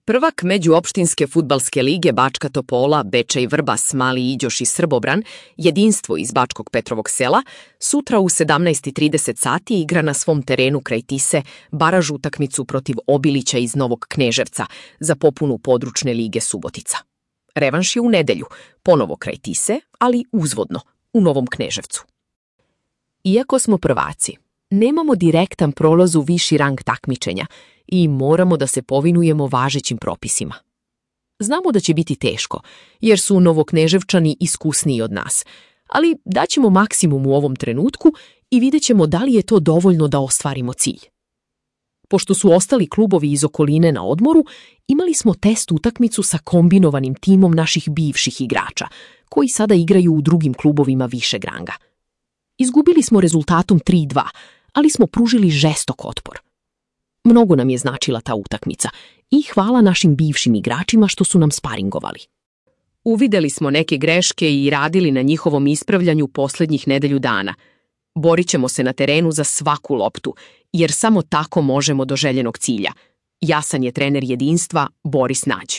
Prvak međuopštinske fudbalske lige Bačka Topola, Bečej Vrbas, Mali Iđoš i Srbobran, jedinstvo iz Bačkog Petrovog Sela, sutra u 17:30 sati igra na svom terenu kraj Tise baraž utakmicu protiv Obilića iz Novog Kneževca za popunu područne lige Subotica. Revanš je u nedelju, ponovo kraj Tise, ali uzvodno, u Novom Kneževcu. Iako smo prvaci, nemamo direktan prolaz u viši rang takmičenja i moramo da se povinujemo važećim propisima. Znamo da će biti teško, jer su Novokneževčani iskusniji od nas, ali daćemo maksimum u ovom trenutku i vidjet ćemo da li je to dovoljno da ostvarimo cilj. Pošto su ostali klubovi iz okoline na odmoru, imali smo test utakmicu sa kombinovanim timom naših bivših igrača, koji sada igraju u drugim klubovima višeg ranga. Izgubili smo rezultatom 3:2, ali smo pružili žestok otpor. Mnogo nam je značila ta utakmica i hvala našim bivšim igračima što su nam sparingovali. Uvideli smo neke greške i radili na njihovom ispravljanju posljednjih nedelju dana. Borit ćemo se na terenu za svaku loptu, jer samo tako možemo do željenog cilja. Jasan je trener jedinstva Boris Nađ.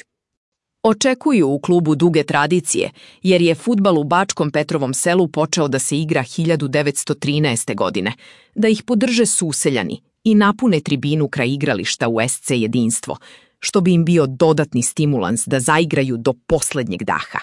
Očekuju u klubu duge tradicije, jer je fudbal u Bačkom Petrovom Selu počeo da se igra 1913. godine, da ih podrže suseljani i napune tribinu kraj igrališta u SC jedinstvo, što bi im bio dodatni stimulans da zaigraju do poslednjeg daha.